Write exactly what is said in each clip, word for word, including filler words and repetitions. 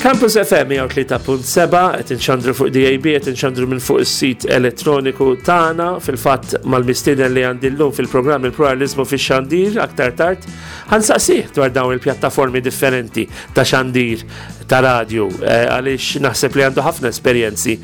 Campus F M mija u tlieta punt seba, qed inxandru fuq D A B, qed inxandru minn fuq is-sit elettroniku tagħna. Fil-fatt, mal-mistieden li għandi llum fil-programm Il-Pluralizmu fix-Xandir, aktar tard ħa nsaqsih dwar dawn il-pjattaformi differenti ta' xandir ta' radio, eh, għaliex naħseb li għandu ħafna esperjenzi,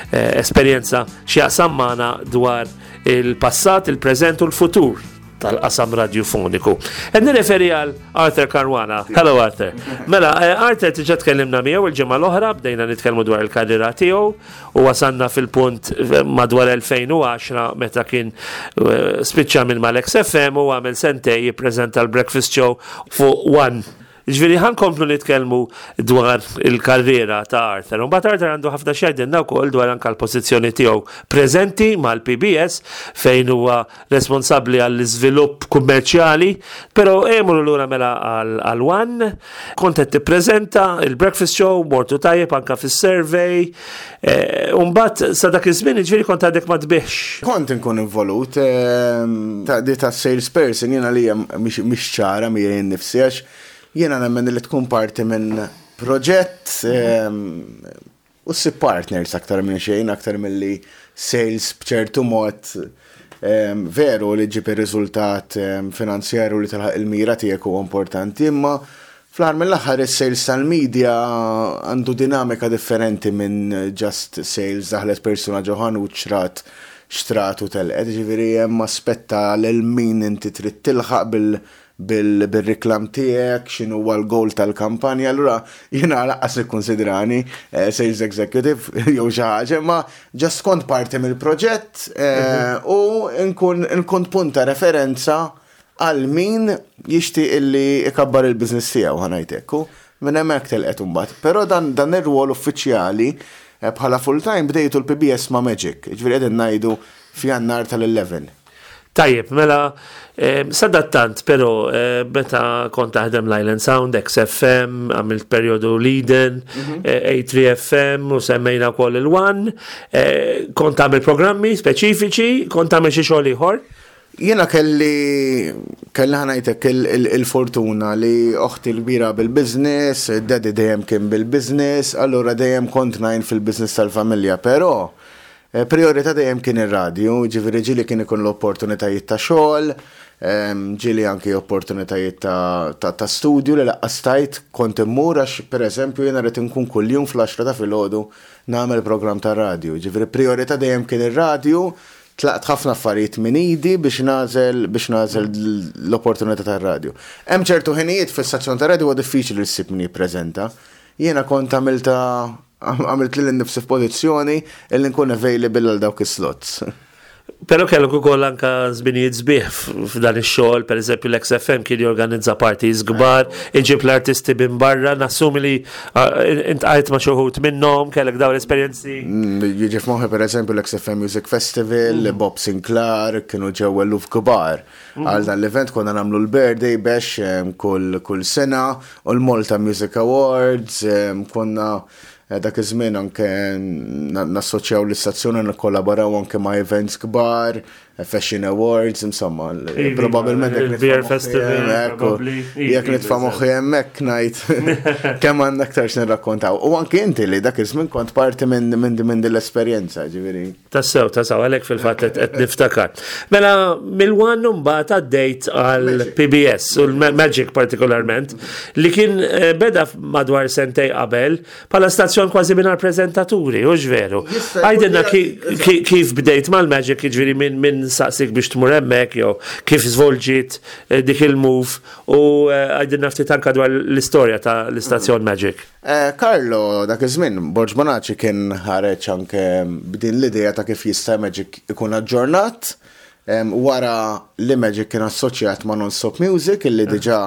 eh, esperjenza x'jaqsam magħna dwar il-passat, il-preżent u l-futur tal-qasam radiofoniku. Qed nirreferi għal Arthur Caruana. Hello, Arthur. Mela, eh, Arthur diġà tkellimna miegħu il-ġimgħa l-oħra, bdejna nitkellmu dwar il-karriera tiegħu u wasanna fil-punt eh, madwar elfejn u għaxra meta kien eh, spiċċa minn mal-X F M u għamel sentejn jippreżenta l-Breakfast Show fuq One. Ġifieri ħa nkomplu nitkellmu dwar il-karriera ta' Arthur. Mbagħad Arthur għandu ħafna x'jgħidilna wkoll dwar anka l-pożizzjoni tiegħu preżenti mal-P B S, fejn huwa responsabbli għall-iżvilupp kummerċjali, però emmorru lura mela għal One, kont qed tippreżenta il-Breakfast Show, mortu tajjeb anka fis-survey, eh, u mbagħad sa dak iż-żmien, ġifieri, kont għadek ma tbigħx. Kont nkun involut, ehm, ta' di ta' salesperson jiena li mhix ċara miegħi nnifsi, għax jiena nemmen li tkun parti minn proġett ehm, u ssib partners aktar minn xejn, aktar milli sales b'ċertu mod ehm, veru li ġib ir-riżultat ehm, finanzjarju li tilħaq il-mira tiegħek huwa importanti, imma fl-aħħar mill-aħħar is-sales tal-media għandu dinamika differenti minn just sales, daħlet persuna ġo ħanut, xtrat xtrat u telqet. Ġifieri hemm aspetta lil min inti trid tilħaq bil bil-reklam tiegħek, x'inhu huwa l-goal tal-kampanja. Allura jiena lanqas ikkonsidrani eh, sales executive jew xi ħaġa, ma just kont parti mill-proġett eh, u nkun nkun punt ta' referenza għal min jixtieq illi ikabbar il-business tiegħu, ħa ngħidlek. Minn hemmhekk telqet imbagħad. Però dan dan ir-rwol uffiċjali eh, bħala full time bdejtu l-P B S ma' Magic, ġifieri qegħdin ngħidu f'Jannar tal-għaxra. Tajjeb, mela, eh, sadattant, pero eh, meta kont taħdem l-Island Sound, X F M, għamilt periodu l-Eden, eh, A tlieta F M u semmejna wkoll il-One, eh, kont għamil programmi speċifiċi, kont għamil xi xogħol ieħor. Jiena kelli kelli ħa ngħidlek il-fortuna li oħti l-kbira bil-business, daddy dejjem kien bil-business, allura dejjem kont ngħin fil-business tal-familja, però eh, priorità dejjem kien ir-radju, ġifieri ġieli kien ikun l-opportunitajiet ta' xogħol, em, ġieli anki opportunitajiet ta', ta, ta studju li lanqas stajt kont immur għax, pereżempju, jiena rrid inkun kuljum fl-għaxra ta' filgħodu nagħmel programm ta' radju. Ġifieri priorità dejjem kien ir-radju, tlaqt ħafna affarijiet minn idi biex nagħżel biex nagħżel l-opportunità tar-radju. Hemm ċertu ħinijiet fis-stazzjon ta' radju huwa diffiċli li ssib min jippreżenta. Jiena kont għamilta għamilt lili nnifsi f'pożizzjoni illi nkun available għal dawk is-slots. Pero kellek ukoll anka żminijiet sbieħ f'dan ix-xogħol, pereżempju l-X F M kien jorganizza parties kbar, iġib l-artisti minn barra, nassumi li ah, iltqajt ma' xi wħud minnhom, kellek dawn l-esperjenzi. Mm, Jiġi f'moħħi, per eżempju, l-X F M Music Festival, Bob Sinclair, kienu ġew eluf kbar. Għal dan l-event konna nagħmlu l-birthday bash em, kull kull sena u l-Malta Music Awards, em, konna eh, dak iż-żmien anke na- nassoċjaw l-istazzjoni, nikkollaboraw anke ma' events kbar, eh, Fashion Awards, insomma, l- Iva, probabbilment jekk il-Beer nitfa' moħħi Festival, hemmhekk, u probably. jekk Iva, nitfa' moħħi hemmhekk ngħid kemm għandna aktar x'nirrakkontaw. U anke inti li dak iż-żmien kont parti minn minn minn din l-esperjenza, ġifieri. Tassew, tassew, għalek fil-fatt qed qed niftakar. Mela, mill-One mbagħad għaddejt għal P B S u l-Magic partikolarment, li kien eh, beda madwar sentejn qabel bħala stazzjon kważi mingħajr preżentaturi, u veru? Jista' jkun Għidilna li- ki- ki- kif bdejt mal-Magic, ġifieri minn min saqsik biex tmur hemmhekk, jew kif żvolġiet eh, dik il-move, u eh, għidilna ftit anka dwar l-istorja ta' l-istazzjon Magic. Eh, Carlo, dak iż-żmien, Borg Bonaci kien ħareġ anke b'din l-idea ta' kif jista' Magic ikun aġġornat em, wara li Magic kien assoċjat ma' Non-Stop Music, illi diġà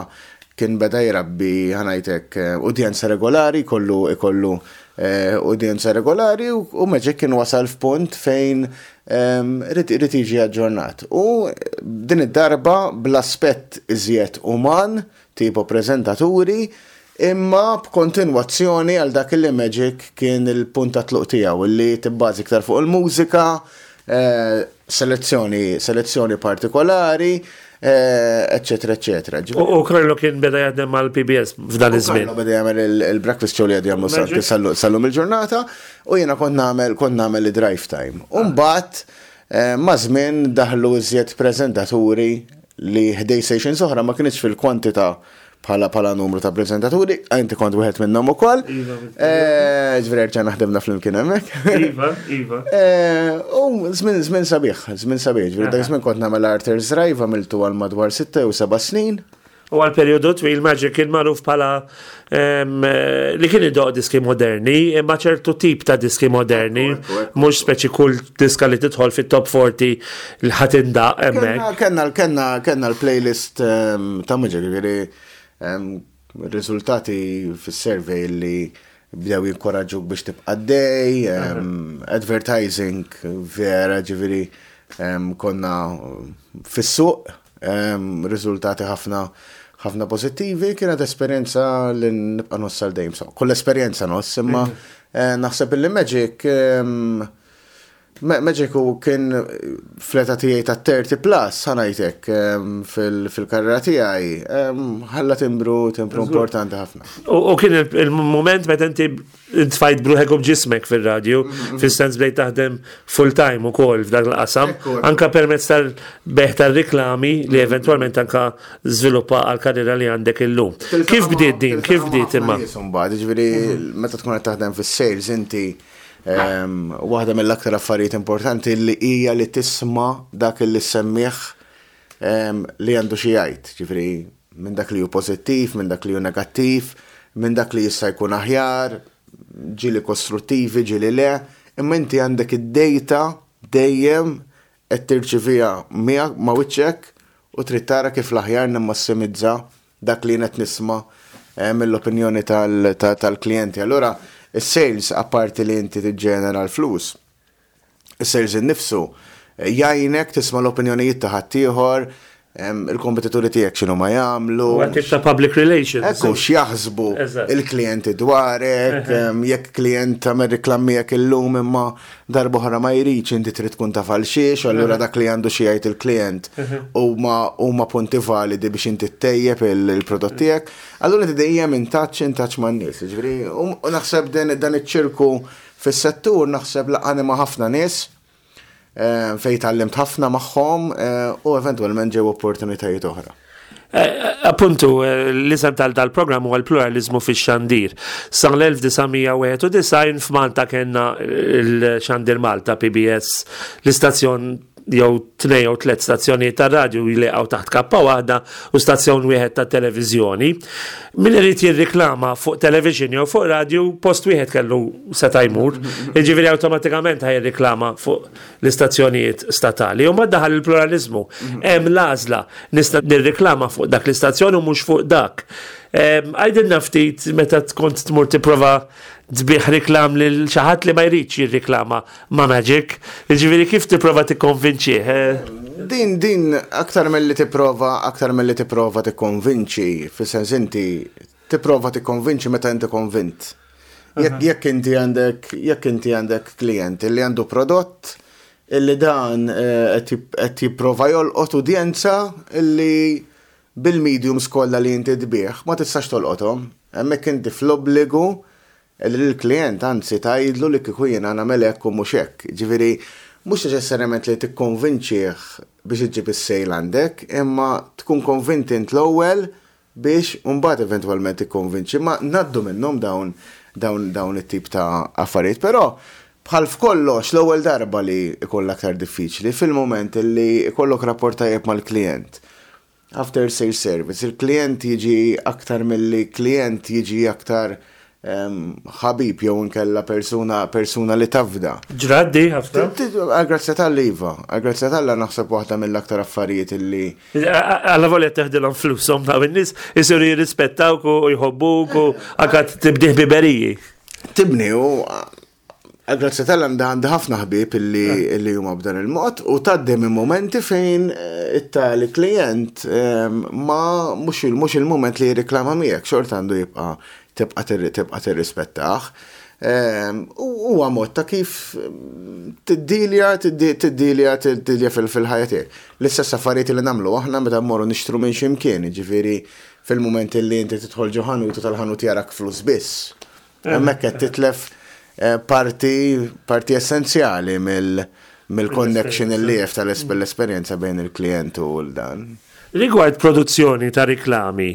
kien beda jrabbi, ħa ngħidlek, eh, udjenza regolari, kollu ikollu eh, udjenza regolari u, u Magic kien wasal f'punt fejn em, irid irid jiġi aġġornat. U din id-darba bl-aspett iżjed uman, tipo preżentaturi, imma b'kontinwazzjoni għal dak li Magic kien il-punt ta' tluq tiegħu, li tibbażi iktar fuq il-mużika, eh, selezzjoni, selezzjoni partikolari, eccetera, eccetera. U Carlo kien beda jaħdem mal-P B S f'dan iż-żmien. Carlo beda jagħmel il-breakfast show li għadu jagħmlu sal-lum il-ġurnata u jiena kont nagħmel kont nagħmel il-drive time. U mbagħad eh, ma' żmien daħlu iżjed preżentaturi li ħdejn stations oħra ma kienx fil-kwantità bħala bħala numru ta' prezentaturi, inti kont wieħed minnhom ukoll. Iva, eh, Ġifieri rġajna ħdimna flimkien hemmhekk. Iva, iva. Eh, u żmien żmien sabiħ, żmien sabiħ. Ġifieri dak żmien kont nagħmel Arthur's Drive, għamiltu għal madwar sitta u seba' snin. U għal periodu twil Magic kien magħruf bħala li kien idoqq diski moderni, imma ċertu tip ta' diski moderni, mhux speċi kull diska li tidħol fit-top forty li ħa tindaqq hemmhekk. Kenna kenna kenna l-playlist ta' Magic, ġifieri riżultati fis-survey li bdew jinkoraġġuk biex tibqa' dej, advertising vera, ġifieri konna fis-suq, riżultati ħafna ħafna pozittivi, kienet esperjenza li nibqa' ngħożż għal dejjem. Kull esperjenza ngħożż, imma eh, naħseb li Magic Magic u kien fl-età tiegħi ta' thirty plus, ħa ngħidlek, fil-karriera tiegħi, ħalla timbru timbru importanti ħafna. U kien il-moment meta inti intfajt bruħek u b'ġismek fil-radju, mhm. fil-sens bdejt taħdem full time ukoll f'dak l-qasam, anka permezz tal-bejgħ tal-riklami li eventualment anka żviluppa għal-karriera li għandek illum. Kif bdiet din? Kif bdiet imma? Ġifieri, meta tkun qed taħdem fis-sales inti, waħda mill-aktar affarijiet importanti li hija li tisma' dak li semmiħ li għandu xi jgħid, ġifieri minn dak li hu pożittiv, minn dak li hu negattiv, minn dak li jista' jkun aħjar, ġieli kostruttivi, ġieli le, imma inti għandek id-data dejjem qed tirċiviha miegħek ma' wiċċek u trid tara kif l-aħjar nimmassimizza dak li qed nisma' eh, mill-opinjoni tal-klijenti. Allura, is-sales, apparti li inti tiġġenera l-flus, is-sales innifsu jgħinek tisma' l-opinjonijiet ta' ħaddieħor, il-kompetituri tiegħek x'inhu ma jagħmlu. U tip ta' public relations. Ekku, x'jaħsbu il-klijenti dwarek, jekk klient tagħmel reklam miegħek illum imma darba oħra ma jridx, inti trid tkun taf għal xiex, allura dak li għandu xi jgħid il-klient huma huma punti validi biex inti ttejjeb il-prodott tiegħek. Allura inti dejjem in touch in touch man-nies. Ġifieri, u naħseb dan iċ-ċirku fis-settur naħseb laqqagħni ma' ħafna nies eh, fejn tgħallimt ħafna magħhom eh, u eventwalment ġew opportunitajiet oħra. Eh, appuntu, l-isem tal dal-programm huwa l-pluralizmu fix-xandir. Sa l-elf disa' mija wieħed u disgħin f'Malta kellna il-Xandir Malta, P B S, l-istazzjon jew tnejn jew tliet stazzjonijiet ta' radju jiltaqgħu taħt kappa waħda u stazzjon wieħed ta' televiżjoni. Min irid jirriklama fuq television jew fuq radju, post wieħed kellu seta' jmur, jiġifieri awtomatikament ħa jirriklama fuq l-istazzjonijiet statali. U ma daħal il-pluralizmu. Hemm l-għażla, nista' nirriklama fuq dak l-istazzjon u mhux fuq dak. Għidilna ftit meta tkun tmur tipprova tbigħ reklam lil xi ħadd li ma jridx jirriklama ma' Magic. Jiġifieri kif tipprova tikkonvinċih? eh? Din, din, aktar mill-li tipprova, aktar mill-li tipprova tikkonvinċi, fis-sens inti tipprova tikkonvinċi meta inti konvint. Jekk jekk inti għandek, jekk inti għandek klient li għandu prodott illi dan eh, qed jip- qed jipprova jolqot udjenza illi bil-mediums kollha li inti tbigħ ma tistax tolqothom. Hemmhekk inti fl-obbligu li l-klient anzi tgħidlu li kieku jiena nagħmel hekk u mhux hekk. Ġifieri mhux neċessarjament li tikkonvinċih biex iġġib is-sale għandek, imma tkun konvinti int l-ewwel biex mbagħad eventwalment tikkonvinċi. Ma ngħaddu minnhom dawn dawn dawn it-tip ta' affarijiet, però bħal f'kollox l-ewwel darba li jkun l-aktar diffiċli, fil-moment li jkollok rapport tajjeb mal-klient. After sales service, il-klient jiġi aktar milli klient jiġi aktar em, ħabib jew inkella persuna persuna li tafda. Ġrat di ħafna. Għal-grazzja t'Alla iva, għal-grazzja t'Alla naħseb waħda mill-aktar affarijiet illi Alla volja teħdilhom flushom daw in-nies isiru jirrispettawk u jħobbuk u anka tibni ħbiberiji. Tibni u għal-grazzja t'Alla għandi ħafna ħbieb illi illi huma b'dan il-mod u tgħaddi minn momenti fejn eh, it-tali klient eh, ma mhux il- mhux il-moment li jirriklama miegħek, xorta għandu jibqa' tibqa' tirri- tibqa' tirrispettah. Ehm, huwa mod ta' kif tiddilja, tiddilja, tiddilja fil-ħajja tiegħek. L-istess affarijiet li nagħmlu aħna meta mmorru nixtru minn x'imkien, ġifieri fil-mument li inti tidħol ġo ħanut u tal-ħanut jarak flus biss. Hemmhekk qed titlef eh, parti parti essenzjali mill-connection li jef tal-esperjenza bejn il-klient u l-dan. Rigward produzzjoni ta' riklami,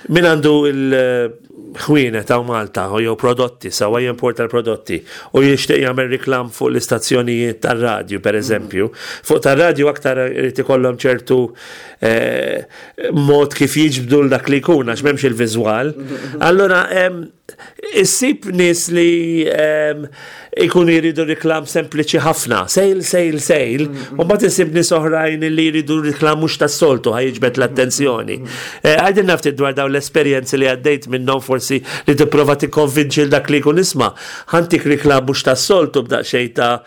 min għandu il-ħwienet ta' Malta u jew prodotti, sawa jimporta l-prodotti u jixtieq jagħmel riklam fuq l-istazzjonijiet tar-radju, per eżempju. Fuq tar-radju aktar irid ikollhom ċertu eh, mod kif jiġbdu l dak li jkun għax m'hemmx il-viżwal. Allora, issib nies li ikunu jridu riklam sempliċi ħafna, sale, sale, sale, u mbagħad issib nies oħrajn li jridu riklam mhux tas-soltu ħa jiġbed l-attenzjoni. Eh, għidilna ftit dwar dawn l-esperjenzi li għaddejt minnhom, forsi li tipprova tikkonvinċi dak li jkun, "Isma', ħa ntik riklam mhux tas-soltu b'daqsxejn ta'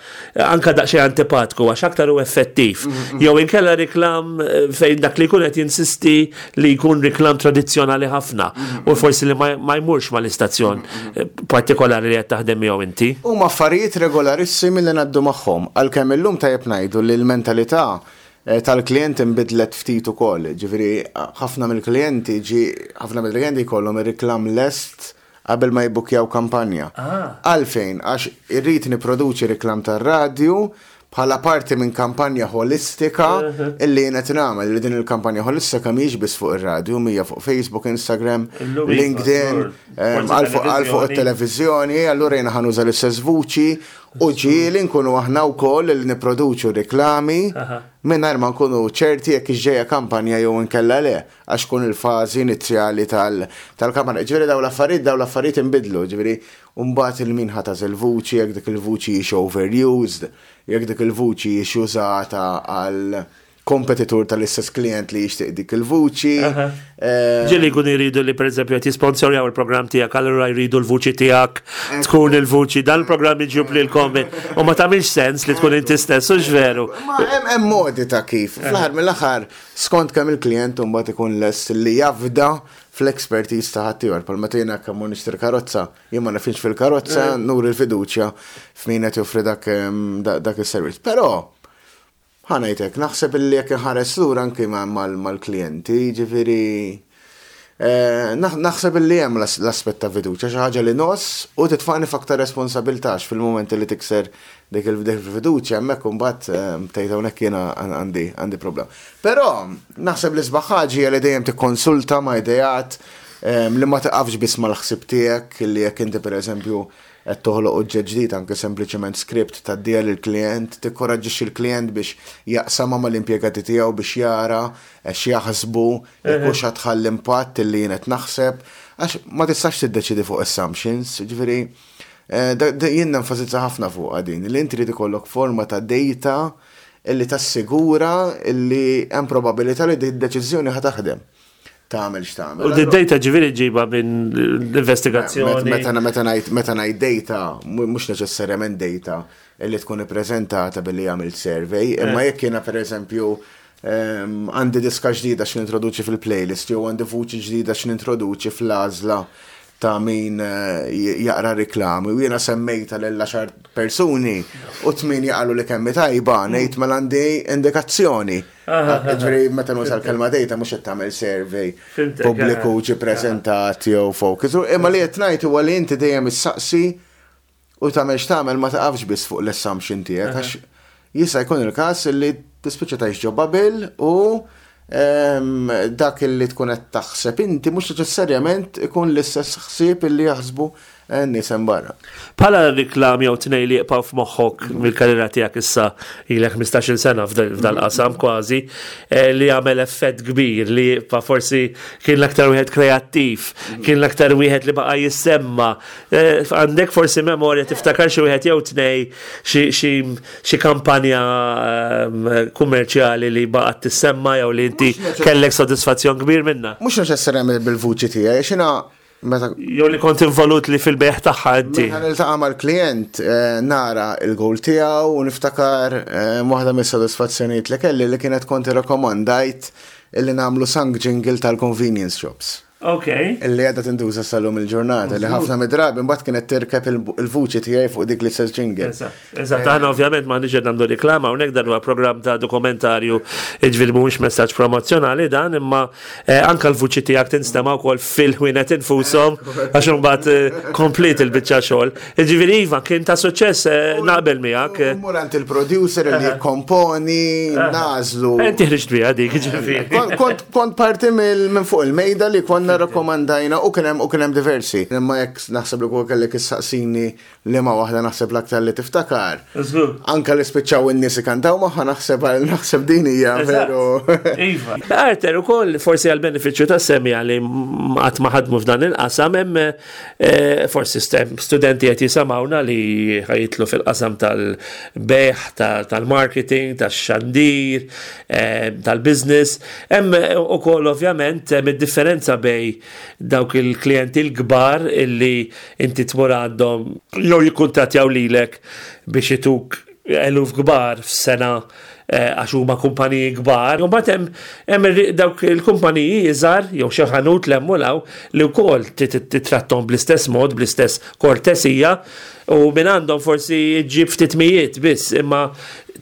anka daqsxejn antipatku għax aktar u effettiv." Jew inkella riklam eh, fejn dak li jkun qed jinsisti li jkun riklam tradizzjonali ħafna u forsi li ma jmurx mal-istazzjon eh, partikolari li qed taħdem miegħu inti. Huma affarijiet regolarissimi li ngħaddu magħhom, għalkemm illum tajjeb ngħidu li l-mentalità eh, tal-klient inbidlet ftit ukoll. Ġifieri ħafna mill-klijenti ġi ħafna mill-klijenti jkollhom ir-reklam lest qabel ma jibbukjaw kampanja. Ah. Għalfejn? Għax irrid nipproduċi reklam tar-radju bħala parti minn kampanja holistika illi jiena nagħmel, li din il-kampanja holistika mhijiex biss fuq ir-radju, hija fuq Facebook, Instagram, LinkedIn, għal fuq it-televiżjoni, allura jiena ħa nuża l-istess vuċi u ġieli nkunu aħna wkoll li nipproduċu reklami mingħajr ma nkunu ċerti jekk ġejja kampanja jew inkella le, għax kun il-fażi inizjali tal-kampanja. Ġifieri daw l-affarijiet daw l-affarijiet inbidlu, ġifieri mbagħad il-min ħa tagħżel il-vuċi, jekk dik il-vuċi hix overused, jekk dik il-vuċi hix użata għal kompetitur tal-istess klient li jixtieq dik il-vuċi. Eh, Ġieli jkun jridu li, per eżempju, qed jisponsorjaw il-programm tiegħek, allura jridu l-vuċi tiegħek tkun il-vuċi dan il-programm iġib lilkom u ma tagħmilx sens li tkun inti stess, u veru? Ma hemm modi ta' kif. Fl-aħħar mill-aħħar, skont kemm il-klient mbagħad ikun lest li jafda fl-expertise ta' ħaddieħor. Pal meta jiena kemm nixtri karozza, jien ma nafx fil-karozza, eh. nuri l-fiduċja f'min qed joffri dak dak is-servizz. Però ħa ngħidlek, naħseb illi jekk inħares lura anki mal-klijenti, ġifieri eh, naħseb illi hemm l-aspett ta' fiduċja, xi ħaġa li ngħożż u titfagħni f'aktar responsabilità fil-mument li tikser dik il-fiduċja, hemmhekk imbagħad eh, tgħid, "Hawnhekk jiena għandi għandi problem." Però naħseb li sbaħ ħaġa li dejjem tikkonsulta ma' ideat eh, li ma tiqafx biss mal-ħsib tiegħek, li jekk inti, pereżempju, qed toħloq oġġett ġdid, anke sempliċement script tgħaddiha lill-klient, tikkoraġġixxi l-klient biex jaqsamha mal-impjegati tiegħu biex jara x'jaħsbu, jekk hux tħalli impatt li jien qed naħseb, għax ma tistax tiddeċidi fuq assumptions, ġifieri eh, jien nenfasizza ħafna fuq din, li inti trid ikollok forma ta' data illi tassigura illi hemm probabilità li di deċiżjoni ħa taħdem, tagħmel x'tagħmel. U d-data ġifieri ġiba minn l-investigazzjoni. Meta meta ngħid meta ngħid data, mhux neċessarjament data illi tkun ippreżentata billi jagħmel survey, imma eh. jekk jiena, pereżempju, għandi diska ġdida x'nintroduċi fil-playlist jew għandi vuċi ġdida x'nintroduċi fl-għażla ta' min eh, jaqra reklami u jiena semmejta lil għaxar persuni u tmienja qalu li kemm tajba, ngħid mela għandi indikazzjoni. Ġifieri meta nuża l-kelma data, mhux qed tagħmel survey pubbliku ġi preżentat jew focus. Imma li qed ngħid huwa li inti dejjem issaqsi u tagħmel x'tagħmel ma taqafx biss fuq l-assumption tiegħek, għax jista' jkun il-każ li tispiċċa tgħix ġo bubble u dak li tkun qed taħseb inti mhux neċessarjament ikun l-istess ħsieb illi jaħsbu n-nies hemm barra. Bħala reklam jew tnej li jibqgħu f'moħħok mill-karriera tiegħek, issa ilek ħmistax-il sena f'dal-qasam kważi, eh, li għamel effett kbir, li jibqa', forsi kien l-aktar wieħed kreattiv, kien l-aktar wieħed li baqa' jissemma. Eh, għandek forsi memorja tiftakar xi wieħed jew tnej, xi kampanja ehm, kummerċjali li baqgħet tissemma jew li inti kellek sodisfazzjon kbir minna? Mhux neċessarjament bil-vuċi tiegħi, xina meta Jew li kont involut li fil-bejgħ tagħha inti. Meta niltaqa' mal-klient eh, nara il-goal tiegħu u niftakar eh, waħda mis-sodisfazzjonijiet li kelli li kienet kont irrakkomandajt illi nagħmlu song jingle tal-convenience shops. Ok. Illi għadha tintuża sal-lum il-ġurnata, li ħafna mid-drabi mbagħad kienet tirkeb il-vuċi tiegħi fuq dik l-istess jingle. Eżatt, aħna ovvjament ma niġed nagħmlu riklama hawnhekk, dan huwa programm ta' dokumentarju, jiġifieri mhuwiex messaġġ promozzjonali dan, imma eh, anka l-vuċi tiegħek tinstema' wkoll fil-ħwienet infushom għax imbagħad eh, komplet il-biċċa xogħol. Jiġifieri iva, kien ta' suċċess, eh, naqbel miegħek. Mur għand il-producer li komponi, nagħżlu. Inti ħriġt biha dik, ġifieri. Kont kont parti minn fuq il-mejda li konna rakkomandajna u kien hemm u kien hemm diversi. Imma jekk naħseb li kol kellek issaqsini li ma waħda naħseb l-aktar li tiftakar. Anka li spiċċaw in-nies ikantaw magħha, naħseb naħseb din hija veru. Iva. Arter ukoll, forsi għal benefiċċju ta' semmiegħa li qatt ma ħadmu f'dan il-qasam, hemm eh, forsi studenti qed jisimgħuna li ħa jidħlu fil-qasam tal-bejgħ, tal-marketing, tax-xandir, eh, tal-business. Hemm ukoll ovvjament hemm id-differenza bejn dawk il-klijenti l-kbar illi inti tmur għandhom jew jikkuntattjaw lilek biex ituk eluf kbar f'sena eh, għax huma kumpaniji kbar. U mbagħad hemm dawk il-kumpaniji iżgħar jew xi ħanut l li wkoll titrattom bl-istess mod, bl-istess kortesija, u minn għandhom forsi ġib ftit mijiet biss, imma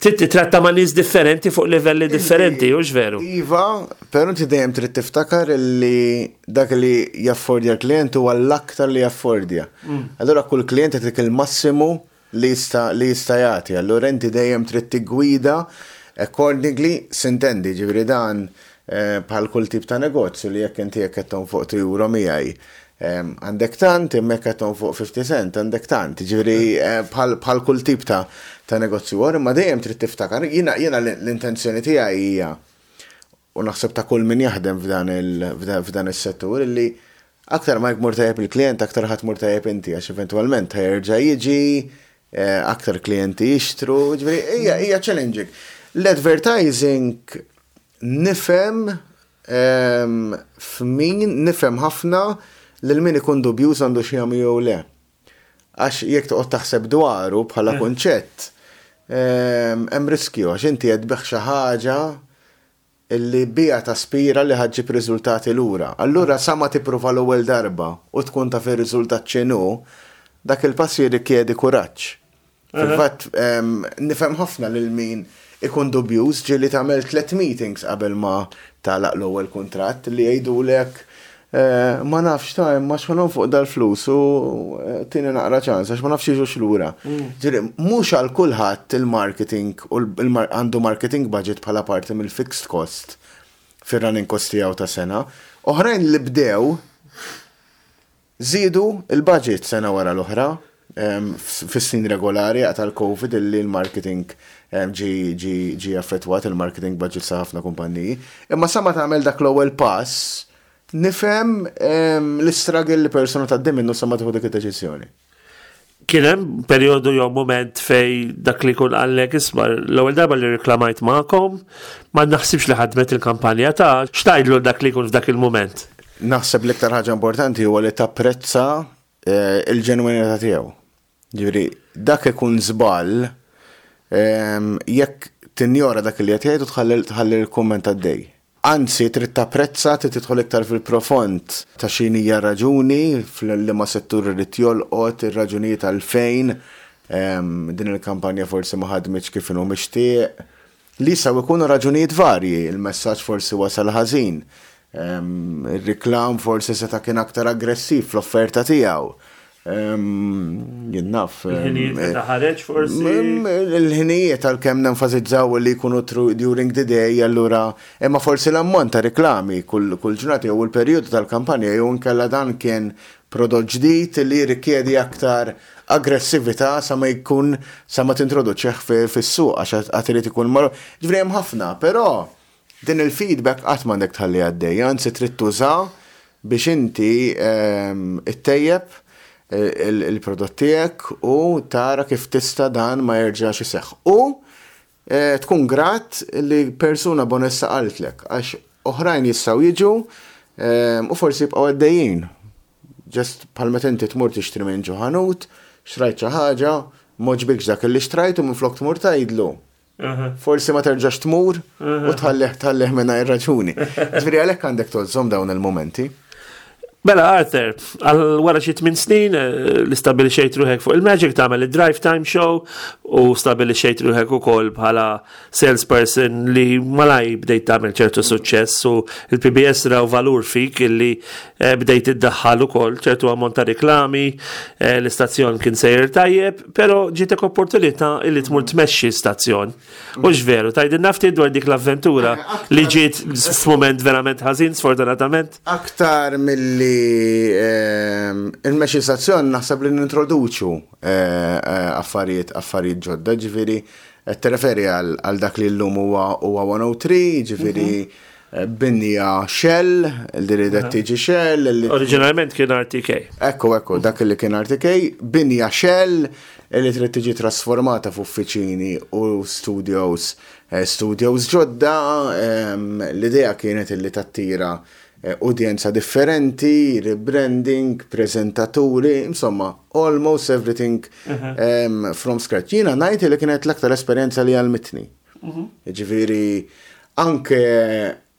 titratta ma' nies differenti fuq livelli differenti, u veru? Iva, però inti dejjem trid tiftakar li dak li jaffordja l-klient huwa l-aktar li jaffordja. Mm. Allura kull klient jagħtik il-massimu li jista' li jista' jagħti. Allura inti dejjem trid tiggwida accordingly, s'intendi, ġifieri dan eh, bħal kull tip ta' negozju li jekk inti jekk qed fuq euro miegħi għandek tant, imma jekk qed fuq fifty cent għandek tant, ġifieri eh, bħal kull tip ta' ta' negozju għor, imma dejjem trid tiftakar, jiena jiena l-intenzjoni tiegħi hija, u naħseb ta' kull min jaħdem f'dan is-settur, illi aktar ma jmur tajjeb il-klient, aktar ħa tmur tajjeb inti, għax eventwalment ħa jerġa' jiġi, eh, aktar klijenti jixtru, ġifieri hija hija challenging. L-advertising nifhem f'min nifhem ħafna lil min ikun dubjuż għandu xi jagħmlu jew le. Għax jekk toqgħod taħseb dwaru bħala kunċett, hemm riskju għax inti qed tbigħ xi ħaġa illi bija taspira li ħa ġġib riżultati lura. Allura sa ma tipprova l-ewwel darba u tkun taf ir-riżultat x'inhu, dak il-pass jirrikjedi kuraġġ. Fil-fatt nifhem ħafna lil min ikun dubjuż, ġieli tagħmel tliet meetings qabel ma tagħlaq l-ewwel kuntratt, li jgħidulek eh, ma nafx ta' imma x'ħa fuq dal-flus u eh, tini naqra ċans għax ma nafx jiġux lura. Ġifieri, mhux għal kulħadd il-marketing u għandu marketing budget bħala parti mill-fixed cost fir-running cost tiegħu ta' sena. Oħrajn li bdew żiedu il-budget sena wara l-oħra fis-snin regolari tal-Covid illi l-marketing ġi ġi ġi affettwat il-marketing budget sa ħafna kumpanniji. Imma sa ma tagħmel dak l-ewwel pass, nifhem l-istruggle li persona tgħaddi minnu sa ma tieħu dik id-deċiżjoni. Kien hemm perjodu jew moment fej dak li kun qallek, "Isma', l-ewwel darba li reklamajt magħkom, ma naħsibx li ħadmet il-kampanja ta'" x'tgħidlu dak li jkun f'dak il-moment? Naħseb l-iktar ħaġa importanti huwa li tapprezza eh, il-ġenwinità tiegħu. Ġifieri, dak ikun żball jekk tinjora dak li qed jgħid u tħalli l-kumment għaddej. Anzi, trid tapprezza, trid tidħol iktar fil-profond ta' x'inhija raġuni, fil-liema settur irid jolqot, ir-raġunijiet għalfejn din il-kampanja forsi ma ħadmitx kif inhu mixtieq. Li jistgħu jkunu raġunijiet varji, il-messaġġ forsi wasal ħażin, il-reklam forsi seta' kien aktar aggressiv fl-offerta tiegħu. Jien naf. Il-ħinijiet meta ħareġ forsi. Il-ħinijiet, għalkemm nenfasizzaw li jkunu during the day, allura, imma forsi l-ammont ta' reklami kull ġurnata jew il-perjodu tal-kampanja jew inkella dan kien prodott ġdid li jirrikjedi aktar aggressività sa ma jkun sa ma tintroduċih fis-suq għax għad irid ikun mar. Ġifieri hemm ħafna, però din il-feedback qatt m'għandek tħalli għaddej, anzi trid tuża biex inti ittejjeb il-prodott tiegħek u tara kif tista' dan ma jerġax iseħħ. U eh, tkun grat li persuna b'onestà qaltlek, għax oħrajn jistgħu jiġu u forsi jibqgħu għaddejjin. Just bħal meta inti tmur tixtri minn ġo ħanut, xtrajt xi ħaġa, m'għoġbikx dak li xtrajt u minflok tmur tgħidlu, forsi ma terġax tmur u tħallih tħallih mingħajr raġuni. Ġifieri għalhekk għandek tgħożżhom dawn il-momenti. Mela Arthur, għal wara xi tmien snin eh, li stabilixxejt ruħek fuq il-Magic tagħmel il-Drive Time Show u stabilixxejt ruħek ukoll bħala salesperson li malaj bdejt tagħmel ċertu suċċess u il-P B S raw valur fik illi eh, bdejt iddaħħal ukoll ċertu ammont ta' reklami, eh, l-istazzjon kien sejjer tajjeb, però ġietek opportunità illi tmur tmexxi stazzjon. U veru, tgħidilna ftit dwar dik l-avventura li ġiet f'mument verament ħażin, sfortunatament. Aktar milli ehm, il-mexi stazzjon, naħseb li nintroduċu eh, eh, affarijiet affarijiet ġodda, ġifieri qed tirreferi għal għal dak li llum huwa huwa mija u tlieta, ġifieri eh, binja Shell, li ridet tiġi Shell, li Oriġinalment kien R T K. Ekku, ekku, dak li kien R T K, binja Shell li trid tiġi trasformata f'uffiċini u studios, eh, studios ġodda, ehm, l-idea kienet li tattira eh, udjenza differenti, rebranding, prezentaturi, insomma, almost everything um, from scratch. Jiena ngħid li kienet l-aktar esperjenza li għallmitni. Ġifieri, anke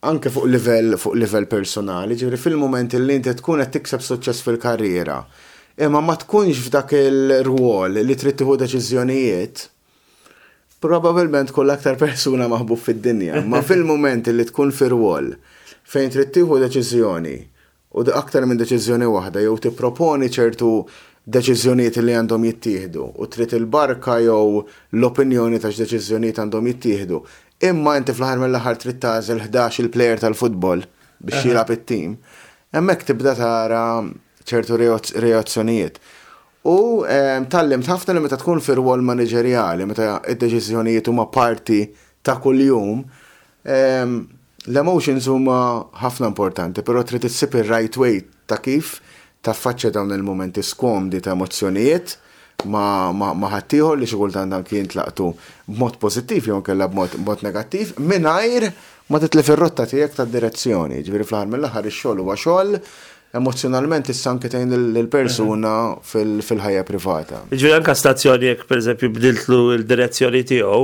anke fuq livell fuq livell personali, ġifieri fil-moment li inti tkun qed tikseb suċċess fil-karriera, imma ma tkunx f'dak il-rwol li trid tieħu deċiżjonijiet, probabilment tkun l-aktar persuna maħbub fid-dinja, ma fil-moment li tkun fir-rwol fejn trid tieħu deċiżjoni u aktar minn deċiżjoni waħda jew tipproponi ċertu deċiżjonijiet li għandhom jittieħdu u trid il-barka jew l-opinjoni ta' x'deċiżjonijiet għandhom jittieħdu. Imma inti fl-aħħar mill-aħħar trid tagħżel ħdax il-player tal-futbol biex jilgħab it-tim. Hemmhekk tibda tara ċertu reazzjonijiet. U tgħallimt ħafna li meta tkun fir-rwol manageriali, meta id-deċiżjonijiet huma parti ta' kuljum, l-emotions huma ħafna importanti, però trid issib ir-right way ta' kif taffaċċja dawn il-momenti skomdi ta' emozzjonijiet ma, ma, ma ħaddieħor li xi kultant anki jintlaqtu b'mod pożittiv jew inkella b'mod b'mod negattiv mingħajr ma titlef ir-rotta tiegħek tad-direzzjoni. Ġifieri fl-aħħar mill-aħħar ix-xogħol huwa xogħol, emozjonalment issa anke tgħin lill-persuna fil-ħajja privata. Ġifieri anka stazzjoni jekk pereżempju bdiltlu l-direzzjoni tiegħu,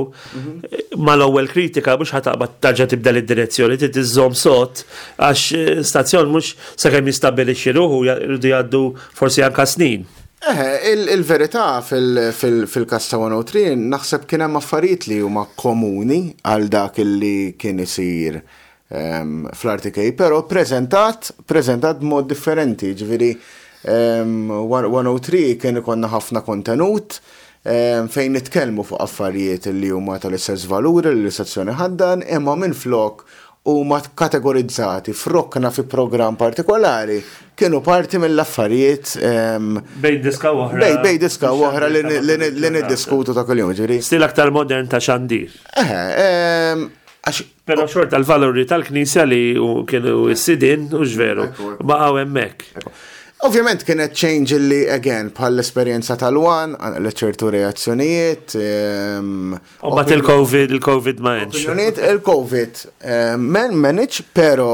mal-ewwel kritika mhux ħa taqbad terġa' tibdel id-direzzjoni, trid iżżomm sod għax stazzjon mhux sakemm jistabbilixxi ruħu jridu jgħaddu forsi anka snin. Eh, il-verità fil-kas ta' mija u tlieta naħseb kien hemm affarijiet li huma komuni għal dak li kien isir fl-R T K, pero prezentat, prezentat b'mod differenti, ġifieri mija u tlieta kien ikollna ħafna kontenut fejn nitkellmu fuq affarijiet li huma tal-istess valuri li l-istazzjoni ħaddan, imma minn flok huma kategorizzati f'rokna fi program partikolari, kienu parti mill-affarijiet bejn diska oħra. Bejn bejn diska oħra li li niddiskutu ta' kuljum, ġifieri. Stil aktar modern ta' xandir. Eh, għax Pero xorta l-valuri tal-Knisja li kienu s-sidin, u veru, baqgħu hemmhekk. Ovvjament kienet change li, again, bħal l-esperjenza tal-One, għal ċertu reazzjonijiet. U bat il-Covid, il-Covid ma għenx. Opinjonijiet, il-Covid men manage, pero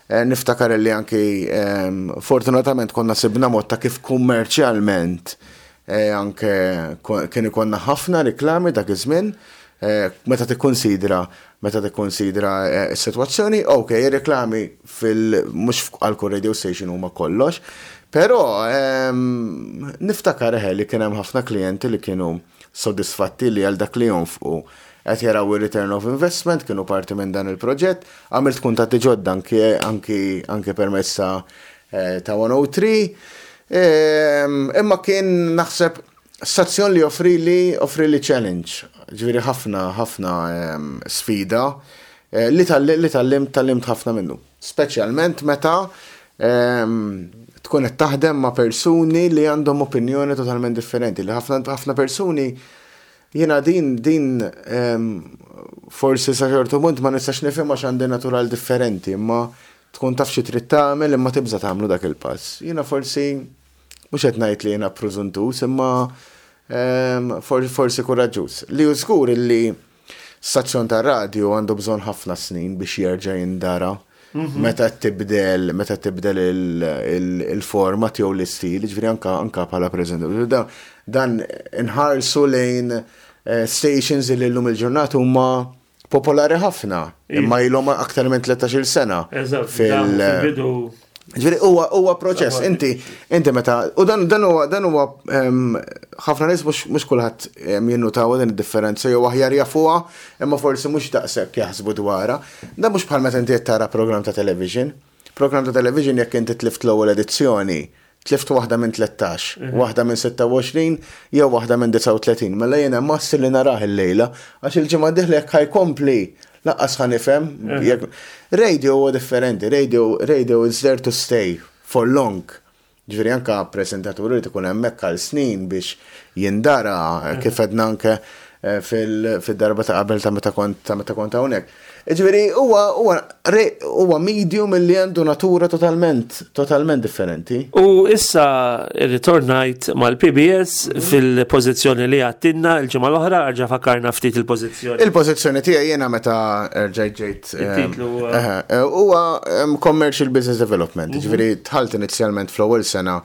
eh, niftakar li anki fortunatament konna sibna mod ta' kif kummerċjalment eh, anke kien ikonna ħafna reklami dak iż-żmien, eh, meta tikkonsidra meta tikkonsidra s-sitwazzjoni, ok, reklami fil mhux għal kull radio station huma kollox, però niftakar eħe li kien hemm ħafna klijenti li kienu soddisfatti li għal dak li jonfqu qed jaraw il-return of investment, kienu parti minn dan il-proġett, għamilt kuntatti ġodda anki anki anki permezz ta' ta' mija u tlieta. Imma kien naħseb stazzjon li offri li offri li challenge, ġifieri ħafna ħafna sfida li tgħallimt tgħallimt ħafna minnu. Speċjalment meta tkun qed taħdem ma' persuni li għandhom opinjoni totalment differenti, li ħafna ħafna persuni, jiena din din forsi sa ċertu punt ma nistax nifhem għax għandi natural differenti, imma tkun taf xi trid tagħmel imma tibża' tagħmlu dak il-pass. Jiena forsi mhux qed ngħid li jiena prużuntus, imma forsi kuraġġuż. Li hu żgur li stazzjon ta' radio għandu bżonn ħafna snin biex jerġa' jindara. Meta tibdel, meta tibdel il-format jew l-istil, ġifieri anka anka bħala preżentatur. Dan inħarsu lejn stations li llum il-ġurnata huma popolari ħafna, imma ilhom aktar minn tlettax-il sena. Fil-bidu. Ġifieri huwa huwa proċess, inti inti meta u dan dan huwa dan huwa ħafna nies mhux mhux kulħadd jinnutaw din id-differenza jew aħjar jafuha imma forsi mhux daqshekk jaħsbu dwarha. Dan mhux bħal meta inti qed tara programm ta' television. Programm ta' television jekk inti tlift l-ewwel edizzjoni, tlift waħda minn tlettax, waħda minn sitta u għoxrin jew waħda minn disgħa u tletin. Mela jiena massi li narah il-lejla għax il-ġimgħa dieħla jekk ħa jkompli lanqas ħa nifhem. Radio huwa differenti, radio, radio is there to stay for long. Ġifieri anka prezentaturi li tkun hemmhekk għal snin biex jindara kif għedna anke eh, fil-darba ta' qabel ta' meta kont ta' meta kont hawnhekk. Ġifieri huwa huwa huwa medium li għandu natura totalment totalment differenti. U issa ritornajt mal-P B S fil-pożizzjoni li għedtilna il-ġimgħa l-oħra, erġa' fakkarna ftit il-pożizzjoni. Il-pożizzjoni tiegħi jiena meta rġajt ġejt Il-titlu huwa Commercial Business Development. Ġifieri dħalt inizjalment fl-ewwel sena,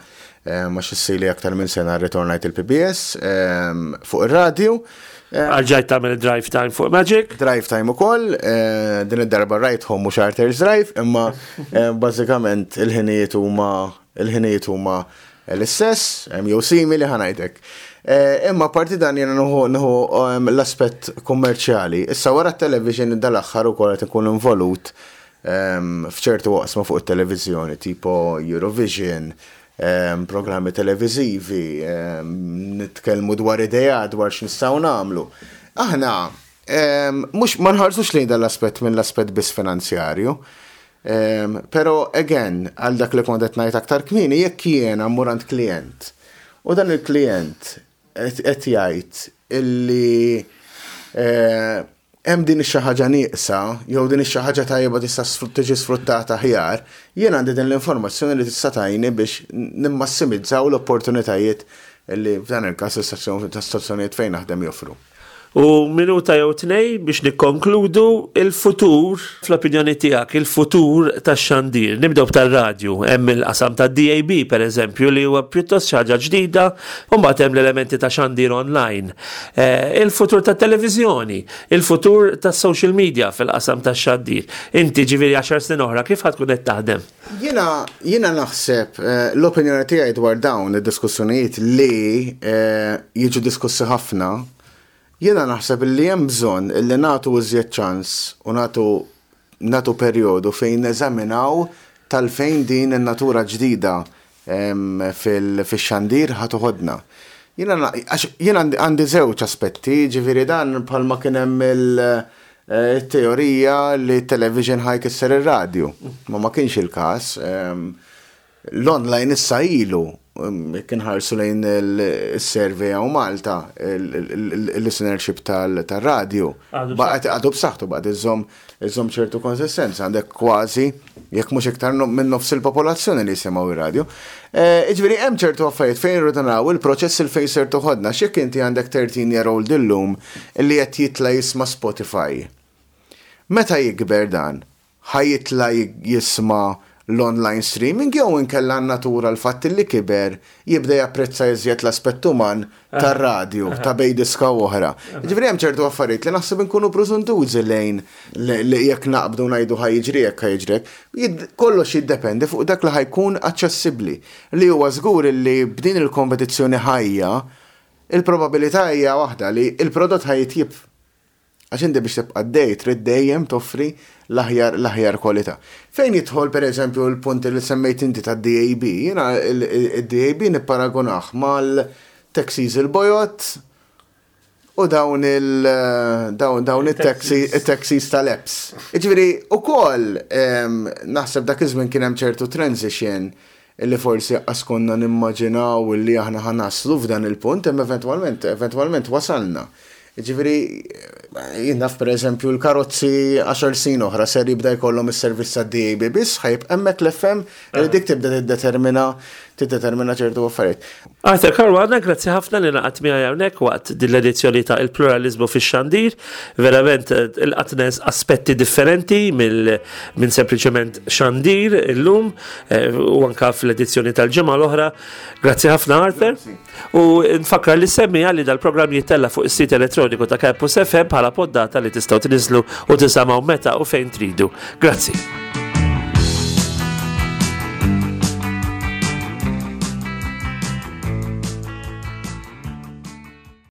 ma xissili aktar minn sena ritornajt il-P B S fuq ir-radju. Erġajt tagħmel drive time fuq Magic. Drive time ukoll, din id-darba Ride Home mhux Arthur's Drive, imma bażikament il-ħinijiet huma il-ħinijiet huma l-istess, jew simili, ħa ngħidlek. Imma parti dan jiena nieħu l-aspett kummerċjali. Issa wara t-television dal-aħħar ukoll qed ikun involut f'ċertu waqsma fuq it-televiżjoni, tipo Eurovision, programmi televizivi, nitkellmu dwar idea dwar x'nistgħu nagħmlu. Aħna mhux ma nħarsux lejn dal-aspett minn l-aspett biss finanzjarju. Pero again, għal dak li kont qed ngħid aktar kmieni, jekk jiena mmur għand klient u dan il-klient qed jgħid illi eh, hemm din ix-xi ħaġa nieqsa jew din ix-xi ħaġa tajba tista' tiġi sfruttata aħjar, jien għandi din l-informazzjoni li tista' tgħinni biex nimmassimizzaw l-opportunitajiet li f'dan il-każ l-istazzjonijiet fejn naħdem joffru. U minuta jew tnej biex nikkonkludu, il-futur, fl-opinjoni tiegħek, il-futur tax-xandir. Nibdew tar-radju, hemm il-qasam tad-D A B per eżempju li huwa pjuttost xi ħaġa ġdida, u mbagħad hemm l-elementi ta' xandir online. Eh, il-futur tat-televiżjoni, il-futur tas-social media fil-qasam tax-xandir. Inti ġifieri għaxar snin oħra kif ħa tkun qed taħdem? Jiena jiena naħseb eh, l-opinjoni tiegħi dwar dawn id-diskussjonijiet li eh, jiġu diskussi ħafna. Jiena naħseb li hemm bżonn li nagħtu iżjed ċans u nagħtu nagħtu perjodu fejn neżaminaw tal-fejn din in-natura ġdida fil-xandir ħa toħodna. Jiena jiena għandi żewġ aspetti, ġifieri dan bħalma kien hemm il-teorija li television ħa jkisser ir-radju. Ma ma kienx il-każ. L-online issa ilu kien ħarsu lejn il-survey hawn Malta, il-listenership tal-radio. Baqgħet għadu b'saħħtu, baqgħet iżomm iżomm ċertu konsistenza, għandek kważi, jekk mhux iktar minn nofs il-popolazzjoni li jisimgħu ir-radio. Ġifieri hemm ċertu affarijiet fejn irridu naraw il-proċess il fejn ser toħodna, x'jekk inti għandek thirteen year old illum li qed jitla' jisma' Spotify. Meta jikber dan, ħa jitla' jisma' l-online streaming jew inkella natura l-fatt li kiber jibda japprezza iżjed l-aspett uman tar-radju, ta' bejn diska oħra? Ġifieri hemm ċertu affarijiet li naħseb inkunu preżuntużi lejn li jekk naqbdu ngħidu ħa jiġri hekk, ħa jiġri hekk. Kollox jiddependi fuq dak li ħa jkun aċċessibbli. Li huwa żgur li b'din il-kompetizzjoni ħajja, il-probabilità hija waħda li il-prodott ħa jitjieb. Għax inti biex tibqa' dej trid dejjem toffri l-aħjar l-aħjar kwalità. Fejn jidħol, per eżempju, l-punt li semmejt inti tad-D A B, jiena il-D A B nipparagunah mal-taxis il-bojod u dawn il dawn dawn it-taxi it-taxis tal-apps. Ġifieri ukoll naħseb dak iż-żmien kien hemm ċertu transition illi forsi qas konna nimmaġinaw li aħna ħa naslu f'dan il-punt, imma eventwalment eventwalment wasalna. Ġifieri, jien naf, per eżempju, l-karozzi għaxar snin oħra ser jibda jkollhom is-servizz tad-D A B biss, ħa jibqa' hemmhekk l-F M li dik tibda tiddetermina tiddetermina ċertu affarijiet. Arthur Caruana, grazzi ħafna li ngħaqadt miegħi hawnhekk waqt din l-edizzjoni ta' Il-Pluralizmu fix-Xandir. Verament il-qatnes aspetti differenti minn sempliċement xandir illum eh, u anka fl-edizzjoni tal-ġimgħa l-oħra. Grazzi ħafna, Arthur. U nfakkar lis-semmiegħa li dal-programm jittella fuq is-sit elettroniku ta' Campus F M bħala poddata li tistgħu tniżlu u tisimgħu meta u fejn tridu. Grazzi.